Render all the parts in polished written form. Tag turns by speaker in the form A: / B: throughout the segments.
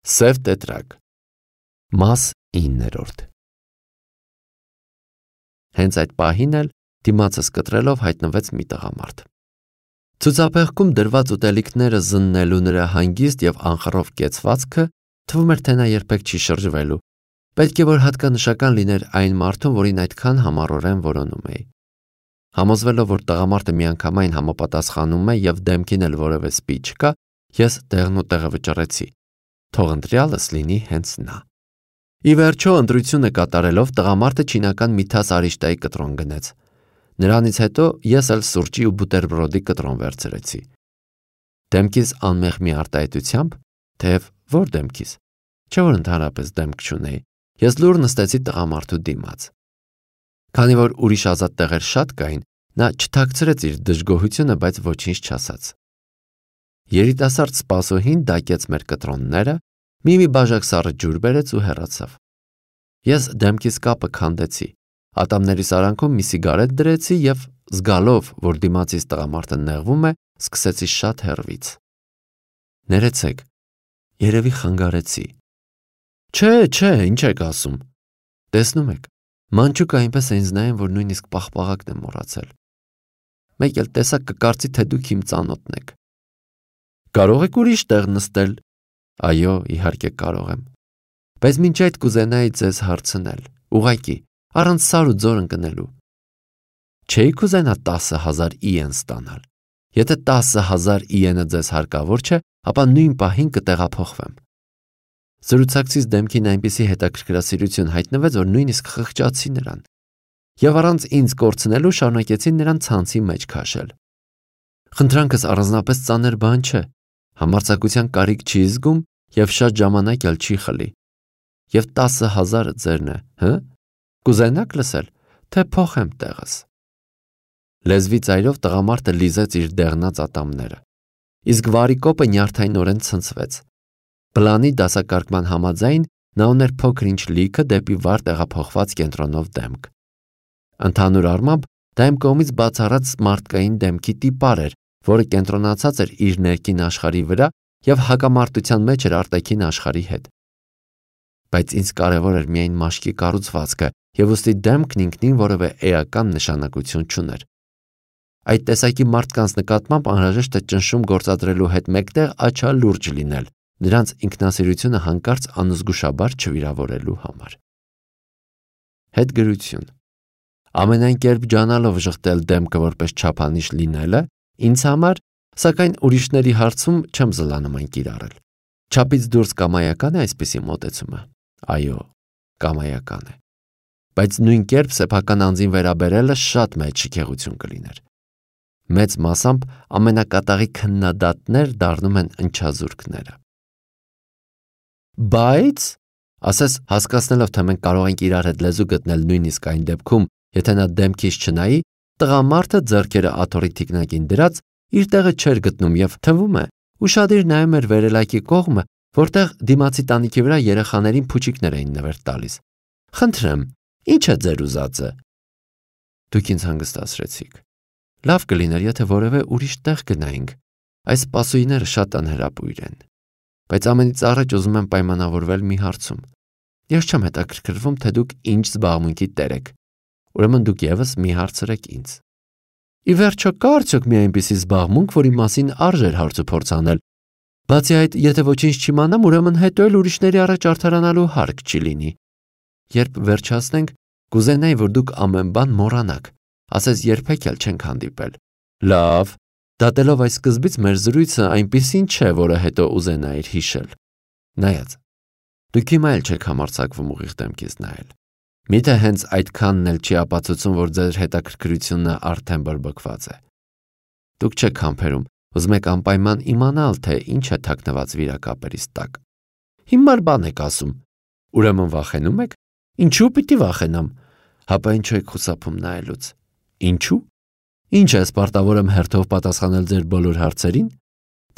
A: Սև տետրակ, մաս 9։ Հենց այդ պահին էլ դիմացս կտրելով հայտնվեց մի տղամարդ։ Ցուցափեղկում դրված ուտելիքները զննելու նրա հանգիստ եւ անխռով կեցվածքը թվում էր, թե նա երբեք չի շրջվելու։ Պետք է որ հատկանշական լիներ այն մարդուն, որին այդքան համառորեն որոնում էի։ Համոզվելով, որ տղամարդը միանգամայն համապատասխանում է եւ դեմքին էլ որևէ սպի չկա, ես տեղն ու տեղը վճռեցի։ Թող ընտրյալս լինի հենց նա։ Ի վերջո ընտրությունը կատարելով տղամարդը չինական մի թաս արիշտայի կտրոն գնեց։ Նրանից հետո ես էլ սուրճի ու բուտերբրոդի կտրոն վերցրեցի։ Դեմքիս անմեղ մի արտահայտությամբ, թեև որ դեմքիս, չէ որ ընդհանրապես դեմք չունեի, ես լուր նստեցի տղամարդու դիմաց։ Քանի որ ուրիշ ազատ տեղեր շատ կային, նա չթաքցրեց իր դժգոհությունը, բայց ոչինչ չասաց։ Երիտասարդ սպասուհին դակեց մեր կտրոնները, մի բաժակ սառը ջուր բերեց ու հեռացավ։ Ես դեմքիս կապը քանդեցի, ատամների սարանքում մի սիգարետ դրեցի եւ զգալով, որ դիմացից տղամարդը նեղվում է, սկսեցի շատ հեռվից։ Ներեցեք, երևի խանգարեցի։ Չէ, ինչ եք ասում։ Տեսնում եք, մանչուկը այնպես է ինձ նայում, որ նույնիսկ պաղպաղակն եմ մոռացել։ Մեկ էլ տեսակ կկարծի, թե դուք իմ ծանոթն եք։ Կարող եք ուրիշ տեղ նստել։ Այո, իհարկե կարող եմ։ Բայց մինչ այդ կուզենայի ձեզ հարցնել, ուղղակի, առանց սար ու ձոր ընկնելու։ Չէի կուզենա 10,000 իեն ստանալ։ Եթե 10,000 իենը ձեզ հարկավոր չէ, ապա նույն պահին կտեղափոխվեմ։ Զրուցակցից դեմքին այնպիսի հետաքրքրասիրություն հայտնվեց, որ նույնիսկ խղճացի նրան։ Եվ առանց ինձ կորցնելու շարունակեցի նրան ցանցի մեջ քաշել։ Խնդրանքս առանձնապես ծանր բան չէ։ Համարձակության կարիք չի զգում եւ շատ ժամանակ էլ չի խլի։ Եվ 10,000-ը ձերն է, հը՞։ Կուզենաք լսել, թե փոխեմ տեղս։ Լեզվի ծայրով տղամարդը լիզեց իր դեղնած ատամները։ Իսկ վարի կոպը նյարդայնորեն ցնցվեց։ Պլանի դասակարգման համաձայն նա ուներ փոքր-ինչ լիքը դեպի վար տեղափոխված կենտրոնով դեմք։ Ընդհանուր առմամբ դա իմ կողմից բացառած մարդկային դեմքի տիպար էր, որը կենտրոնացած էր իր ներքին աշխարհի վրա եւ հակամարտության մեջ էր արտաքին աշխարհի հետ։ Բայց ինձ կարևոր էր միայն մաշկի կառուցվածքը եւ ուստի դեմքն ինքնին որևէ էական նշանակություն չուներ։ Այդ տեսակի մարդկանց նկատմամբ անհրաժեշտ է ճնշում գործադրելու հետ մեկտեղ աչալուրջ լինել, նրանց ինքնասիրությունը հանկարծ անզգուշաբար չվիրավորելու համար։ Հետգրություն։ Ամենայն կերպ ջանալով ժխտել դեմքը որպես չափանիշ լինելը, ինձ համար, սակայն ուրիշների հարցում չեմ զլանում կիրառել։ Չափից դուրս կամայական է այսպիսի մոտեցումը։ Այո, կամայական է։ Բայց նույն կերպ սեփական անձին վերաբերելը շատ մեծ շքեղություն կլիներ։ Մեծ մասամբ ամենակատաղի քննադատներ դառնում են ընչազուրկները։ Բայց, ասես հասկացնելով, թե մենք կարող ենք իրար հետ լեզու գտնել նույնիսկ այն դեպքում, եթե նա դեմքից չնայի, տղամարդը ձեռքերը աթոռի թիկնակին դրած իր տեղը չէր գտնում եւ թվում է, ուշադիր նայում էր վերելակի կողմը, որտեղ դիմացի տանիքի վրա երեխաներին փուչիկներ էին նվեր տալիս։ Խնդրեմ, ի՞նչ է ձեր ուզածը։ Դուք ինձ հանգստացրեցիք։ Լավ կլիներ, եթե որևէ ուրիշ տեղ գնայինք։ Այս սպասուհիները շատ անհրապույր են։ Բայց ամենից առաջ ուզում եմ պայմանավորվել մի հարցում։ Ես չեմ հետաքրքրվում, թե դուք ինչ զբաղմունքի տեր եք։ Ուրեմն դուք եւս մի հարցրեք ինձ։ Ի վերջո կա արդյոք մի այնպիսի զբաղմունք, որի մասին արժեր հարց ու փորձ անել։ Բացի այդ, եթե ոչինչ չիմանամ, ուրեմն հետո էլ ուրիշների առաջ արդարանալու հարկ չի լինի։ Երբ վերջացնենք, կուզենայի, որ դուք ամեն բան մոռանաք, ասես երբեք էլ չենք հանդիպել։ Լավ, դատելով այս սկզբից մեր զրույցը այնպիսին չէ, որը հետո ուզենայիր հիշել։ Նայած, դուք հիմա էլ չեք համարձակվում ուղիղ դեմքից նայել։ Միթե հենց այդքանն էլ չի ապացուցում, որ ձեր հետաքրքրությունը արդեն բրբկված է։ Դուք չեք համբերում, ուզում եք անպայման իմանալ, թե ինչ է թաքնված վիրակապերից տակ։ Հիմար բան եք ասում։ Ուրեմն վախենում եք։ Ինչու պիտի վախենամ։ Հապա ինչու եք խուսափում նայելուց։ Ինչու։ Ինչ է սպարտավոր եմ հերթով պատասխանել ձեր բոլոր հարցերին։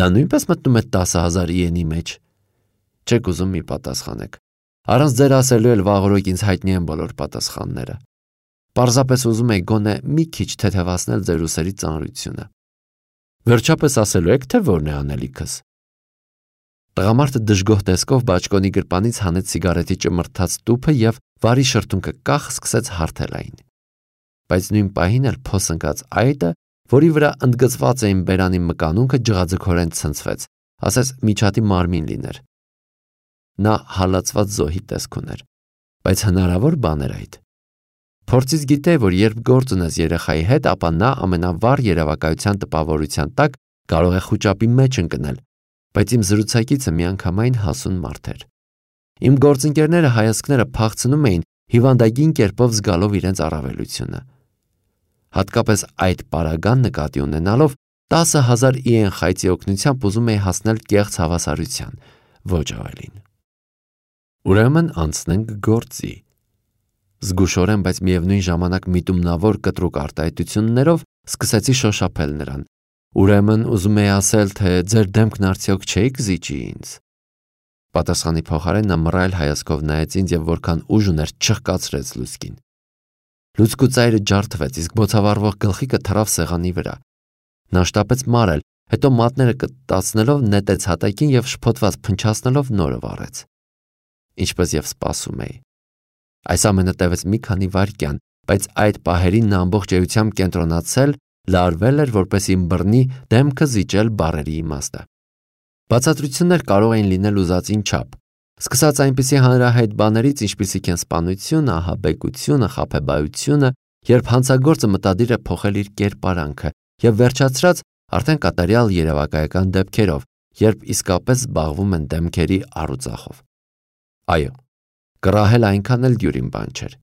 A: Դա նույնպես մտնում է 10,000 իենի մեջ։ Չեք ուզում մի պատասխանեք։ Առանց ձեր ասելու էլ վաղօրոք ինձ հայտնի են բոլոր պատասխանները։ Պարզապես ուզում եք գոնե մի քիչ թեթևացնել ձեր ուսերի ծանրությունը։ Վերջապես ասելու եք, թե որն է անելիքս։ Տղամարդը դժգոհ տեսքով բաճկոնի գրպանից հանեց սիգարետի ճմրթած տուփը եւ վարի շրթունքը կախ սկսեց հարթել այն։ Բայց նույն պահին էլ փոս ընկած այտը, որի վրա ընդգծված էին բերանի մկանունքը, ջղաձգորեն ցնցվեց, ասես միջատի մարմին լիներ։ Նա հալածված զոհի տեսք ուներ, բայց հնարավոր բան էր այդ։ Փորձից գիտե, որ երբ գործ ունես երեխայի հետ, ապա նա ամենավառ երևակայության տպավորության տակ կարող է խուճապի մեջ ընկնել, բայց իմ զրուցակիցը միանգամայն հասուն մարդ էր։ Իմ գործընկերները հայացքները փախցնում էին, հիվանդագին կերպով զգալով իրենց առավելությունը։ Հատկապես այդ պարագան նկատի ունենալով 10,000 իեն խայծի օգնությամբ ուզում էի հասնել կեղծ հավասարության, ոչ ավելին։ Ուրեմն անցնենք գործի։ Զգուշորեն, բայց միևնույն ժամանակ միտումնավոր կտրուկ արտահայտություններով սկսեցի շոշափել նրան։ Ուրեմն ուզում էի ասել, թե ձեր դեմքն արդյոք չէիք զիջի ինձ։ Պատասխանի փոխարեն նա մռայլ հայացքով նայեց ինձ եւ որքան ուժ ուներ չխկացրեց լուցկին։ Լուցկու ծայրը ջարդվեց, իսկ բոցավառվող գլխիկը թռավ սեղանի վրա։ Նա շտապեց մարել, հետո մատները կտտացնելով նետեց հատակին եւ շփոթված փնչացնելով նորը վառեց։ Ինչպես եւ սպասում էի։ Այս ամենը տևեց մի քանի վայրկյան, բայց այդ պահերին նա ամբողջ էությամբ կենտրոնացել, լարվել էր, որպեսզի բռնի դեմքը զիջել բառերի իմաստը։ Բացատրություններ կարող էին լինել ուզածին չափ, սկսած այնպիսի հանրահայտ բաներից, ինչպիսիք են սպանությունը, ահաբեկությունը, խաբեբայությունը, երբ հանցագործը մտադիր է փոխել իր կերպարանքը, եւ վերջացրած արդեն կատարյալ երևակայական դեպքերով, երբ իսկապես զբաղվում են դեմքերի առուծախով։ Այո, կռահել այնքան էլ դյուրին բան չէր։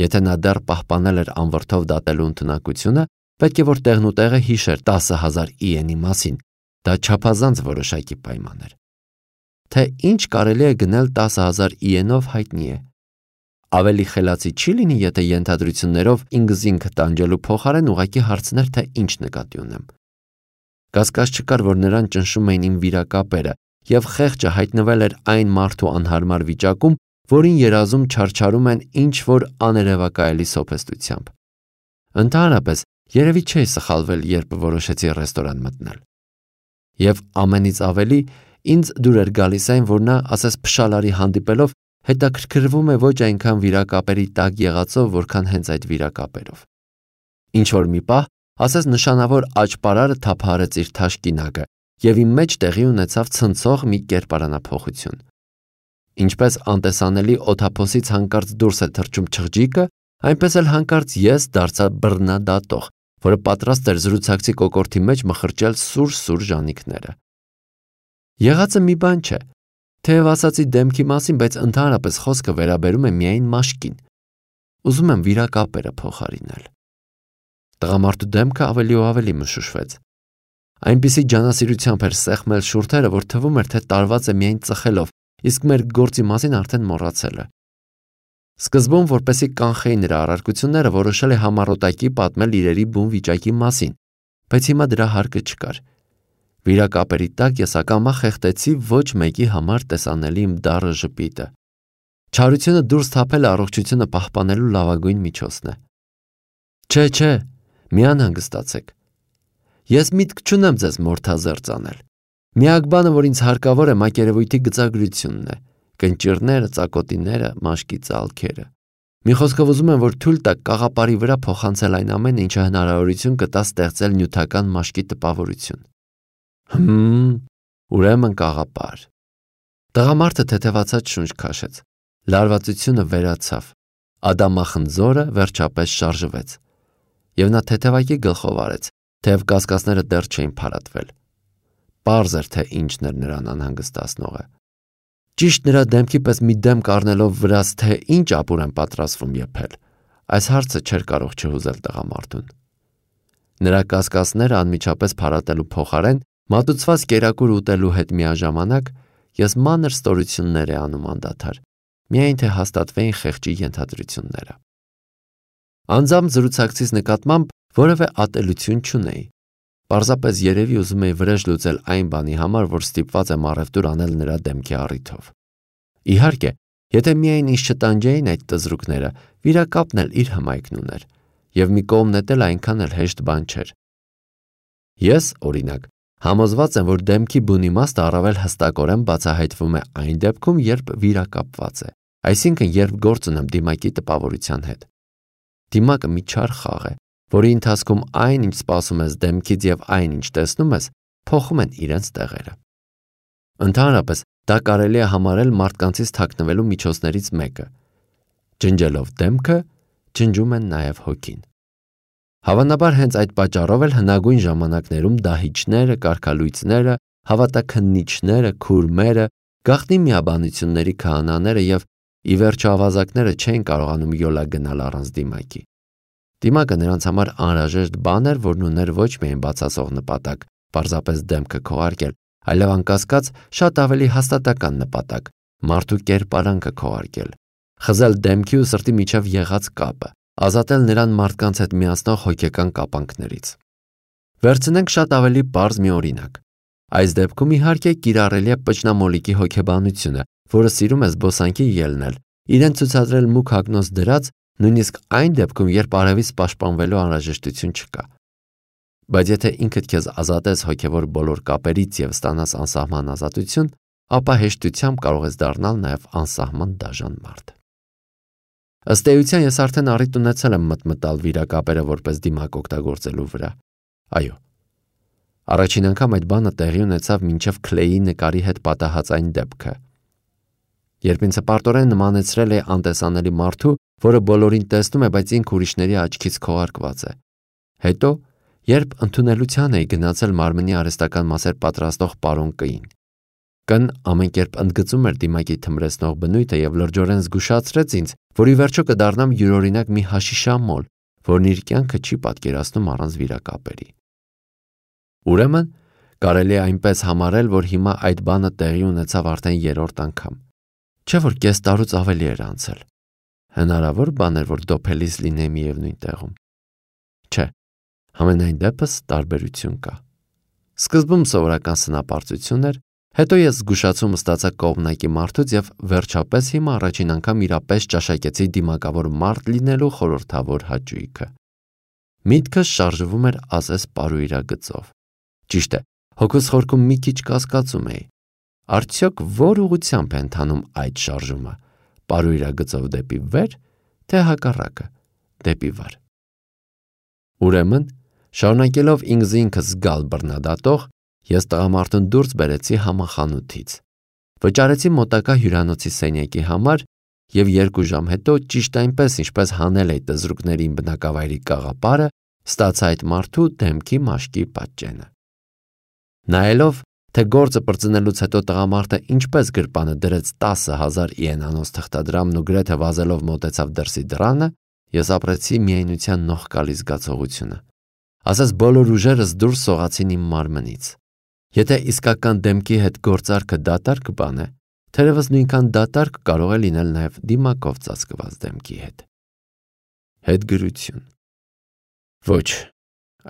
A: Եթե նա դեռ պահպանել էր անվրդով դատելու ընտունակությունը, պետք է որ տեղնուտեղը հիշեր 10,000 իենի մասին, դա չափազանց որոշակի պայման էր։ Թե ինչ կարելի է գնել 10,000 իենով հայտնի է։ Ավելի խելացի չի լինի, եթե ենթադրություններով ինքզինքը տանջելու փոխարեն ուղղակի հարցներ, թե ինչ նկատի ունեմ։ Կասկած չկար, որ նրան ճնշում էին իմ վիրակապերը, եւ խեղճը հայտնվել էր այն մարդու անհարմար վիճակում, որին երազում չարչարում են ինչ որ աներևակայելի սոփեստությամբ։ Ընդհանրապես, երևի չէի սխալվել, երբ որոշեցի ռեստորան մտնել։ Եվ ամենից ավելի ինձ դուր էր գալիս այն, որ նա, ասես փշալարի հանդիպելով, հետաքրքրվում է ոչ այնքան վիրակապերի տակ եղածով, որքան հենց այդ վիրակապերով։ Ինչ որ մի պահ, ասես նշանավոր աճպարարը թափահարեց իր թաշկինակը, եւ իմ մեջ տեղի ունեցավ ցնցող մի կերպարանափոխություն։ Ինչպես անտեսանելի օթափոսից հանկարծ դուրս է թռչում չղջիկը, այնպես էլ հանկարծ ես դարձա բռնադատող, որը պատրաստ էր զրուցակցի կոկորդի մեջ մխրճել սուր ժանիքները։ Եղածը մի բան չէ, թեև ասացի դեմքի մասին, բայց ընդհանրապես խոսքը վերաբերում է միայն մաշկին։ Ուզում եմ վիրակապերը փոխարինել։ Տղամարդու դեմքը ավելի ու ավելի մշուշվեց։ Այնպիսի ջանասիրությամբ էր սեղմել շուրթերը, որ թվում էր, թե տարված է միայն ծխելով, իսկ մեր գործի մասին արդեն մոռացել է։ Սկզբում, որպեսզի կանխեի նրա առարկությունները, որոշել է համառոտակի պատմել իրերի բուն վիճակի մասին, բայց հիմա դրա հարկը չկար։ Վիրակապերի տակ ես ակամա խեղդեցի ոչ մեկի համար տեսանելի իմ դառը ժպիտը։ Չարությունը դուրս թափել առողջությունը պահպանելու լավագույն միջոցն է։ Չէ, մի անհանգստացեք։ Ես միտք չունեմ ձեզ մորթազերծ անել։ Միակ բանը, որ ինձ հարկավոր է, մակերևույթի գծագրությունն է, կնճիռները, ծակոտիները, մաշկի ծալքերը։ Մի խոսքով ուզում եմ, որ թույլ տաք կաղապարի վրա փոխանցել այն ամենը, ինչը հնարավորություն կտա ստեղծել նյութական մաշկի տպավորություն։ Ուրեմն կաղապար։ Տղամարդը թեթևացած շունչ քաշեց։ Լարվածությունը վերացավ։ Ադամախնձորը վերջապես շարժվեց։ Եվ նա թեթևակի գլխով արեց, թեև կասկածները դեռ չէին փարատվել։ Պարզ էր, թե ինչն էր նրան անհանգստացնողը։ Ճիշտ նրա դեմքի պես մի դեմք առնելով վրաս, թե ինչ ապուր են պատրաստվում եփել, այս հարցը չէր կարող չհուզել տղամարդուն։ Նրա կասկածները անմիջապես փարատելու փոխարեն, մատուցված կերակուր ուտելու հետ միաժամանակ, ես մանր ստորություններ է անում անդադար, միայն թե հաստատվեին խեղճի ենթադրությունները։ Անձամբ զրուցակցից նկատմամբ որևէ ատելություն չունեի։ Պարզապես երևի ուզում էի վրեժ լուծել այն բանի համար, որ ստիպված եմ առևտուր անել նրա դեմքի առիթով։ Իհարկե, եթե միայն ինձ չտանջեին այդ տզրուկները, վիրակապն էլ իր հմայքն ուներ, եւ մի կողմ նետել այնքան էլ հեշտ բան չէր։ Ես, օրինակ, Համոզված եմ, որ դեմքի բուն իմաստը առավել հստակորեն բացահայտվում է այն դեպքում, երբ վիրակապված է, այսինքն երբ գործ ունեմ դիմակի տպավորության հետ։ Դիմակը մի չար խաղ է, որի ընթացքում այն, ինչ սպասում ես դեմքից եւ այն, ինչ տեսնում ես, փոխում են իրենց տեղերը։ Ընդհանրապես, դա կարելի է համարել մարդկանցից թաքնվելու միջոցներից մեկը։ Ջնջելով դեմքը, ջնջում են նաև հոգին։ Հավանաբար հենց այդ պատճառով էլ հնագույն ժամանակներում դահիճները, կարգալույծները, հավատաքննիչները, քուրմերը, գաղտնի միաբանությունների քահանաները եւ ի վերջո ավազակները չէին կարողանում յոլա գնալ առանց դիմակի։ Դիմակը նրանց համար անհրաժեշտ բան էր, որն ուներ ոչ միայն բացասող նպատակ, պարզապես դեմքը քողարկել, այլև անկասկած շատ ավելի հաստատական նպատակ՝ մարդու կերպարանքը քողարկել, խզել դեմքի ու սրտի միջև եղած կապը, ազատել նրան մարդկանց հետ միացնող հոգեկան կապանքներից։ Վերցնենք շատ ավելի պարզ մի օրինակ։ Այս դեպքում իհարկե կիրառելի է պճնամոլիկի հոգեբանությունը, որը սիրում է զբոսանքի ելնել, իրեն ցուցադրել մուգ հագնոց դրած, նույնիսկ այն դեպքում, երբ արևից պաշտպանվելու անհրաժեշտություն չկա։ Բայց եթե ինքդ քեզ ազատես հոգևոր բոլոր կապերից եւ ստանաս անսահման ազատություն, ապա հեշտությամբ կարող ես դառնալ նաեւ անսահման դաժան մարդ։ Ըստ էության ես արդեն առիթ ունեցել եմ մտմտալ վիրակապերը որպես դիմակ օգտագործելու վրա։ Այո։ Առաջին անգամ այդ բանը տեղի ունեցավ մինչև Քլեյի նկարի հետ պատահած այն դեպքը։ Երբ ինձ հպարտորեն նմանեցրել է անտեսանելի մարդու, որը բոլորին տեսնում է, բայց ինքը ուրիշների աչքից քողարկված է։ Հետո, երբ ընդունելության էի գնացել մարմնի արհեստական մասեր պատրաստող պարոն Կ-ին։ Կն ամեն կերպ ընդգծում էր դիմակի թմրեցնող բնույթը եւ լրջորեն զգուշացրեց ինձ, որ ի վերջո կդառնամ յուրօրինակ մի հաշիշամոլ, որն իր կյանքը չի պատկերացնում առանց վիրակապերի։ Ուրեմն, կարելի է այնպես համարել, որ հիմա այդ բանը տեղի ունեցավ արդեն երրորդ անգամ։ Չէ՞ որ կես տարուց ավելի էր անցել։ Հնարավոր բան էր, որ դոփելիս լինեի միևնույն տեղում։ Չէ, համենայն դեպս տարբերություն կա։ Սկզբում սովորական սնապարծություն էր, հետո ես զգուշացում ստացա կողմնակի մարդուց եւ վերջապես հիմա առաջին անգամ իրապես ճաշակեցի դիմակավոր մարդ լինելու խորհրդավոր հաճույքը։ Միտքս շարժվում էր ասես պարույրագծով։ Ճիշտ է, հոգուս խորքում մի քիչ կասկածում էի։ Արդյոք որ ուղղությամբ է ընթանում այդ շարժումը, պարույրագծով դեպի վեր, թե հակառակը, դեպի վար։ Ուրեմն, շարունակելով ինքս զգալ բռնադատող, ես տղամարդուն դուրս բերեցի համախանութից։ Վճարեցի մոտակա հյուրանոցի սենյակի համար եւ 2 ժամ հետո ճիշտ այնպես, ինչպես հանել էի տզրուկներին բնակավայրի կաղապարը, ստացա այդ մարդու դեմքի մաշկի պատճենը։ Նայելով, թե գործը բրծնելուց հետո տղամարդը ինչպես գրպանը դրեց 10,000 իենանոց թղթադրամն ու գրեթե վազելով մոտեցավ դրսի դռանը, ես ապրեցի միայնության նողկալի զգացողությունը։ Ասես բոլոր ուժերս դուրս սողացին իմ մարմնից։ Եթե իսկական դեմքի հետ գործարքը դատարկ բան է, թերևս նույնքան դատարկ կարող է լինել նաև դիմակով ծածկված դեմքի հետ։ Հետգրություն։ Ոչ,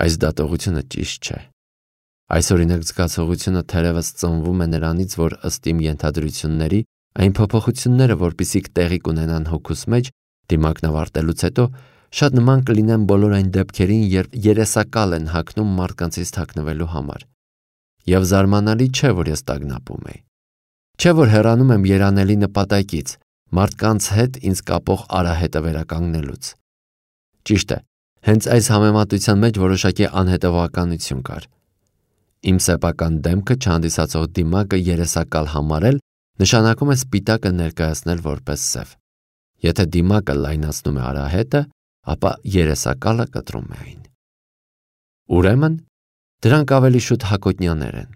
A: այս դատողությունը ճիշտ չէ։ Այս օրինակ զգացողությունը թերևս ծնվում է նրանից, որ ըստ իմ ենթադրությունների, այն փոփոխությունները, որպիսիք տեղի կունենան հոգուս մեջ, դիմակն ավարտելուց հետո շատ նման կլինեն բոլոր այն դեպքերին, երբ երեսակալ են հագնում մարդկանցից թաքնվելու համար։ Եվ զարմանալի չէ, որ ես տագնապում էի։ Չէ, որ հեռանում եմ երանելի նպատակից, մարդկանց հետ ինձ կապող արահետը վերականգնելուց։ Ճիշտ է, հենց այս համեմատության մեջ որոշակի անհետևականություն կար։ Իմ սեփական դեմքը չհանդիսացող դիմակը երեսակալ համարել նշանակում է սպիտակը ներկայացնել որպես սև։ Եթե դիմակը լայնացնում է արահետը, ապա երեսակալը կտրում է այն։ Ուրեմն, դրանք ավելի շուտ հակոտնյաներ են։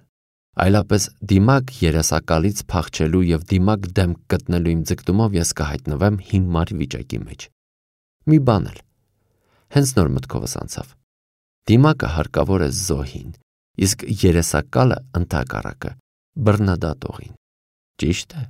A: Այլապես դիմակ երեսակալից փախչելու եւ դիմակ դեմք գտնելու իմ ձգտումով ես կհայտնվեմ հիմար վիճակի մեջ։ Մի բան էլ։ Հենց նոր մտքովս անցավ։ Դիմակը հարկավոր է զոհին, իսկ երեսակալը ընդհակառակը բռնադատողին։ Ճիշտ է։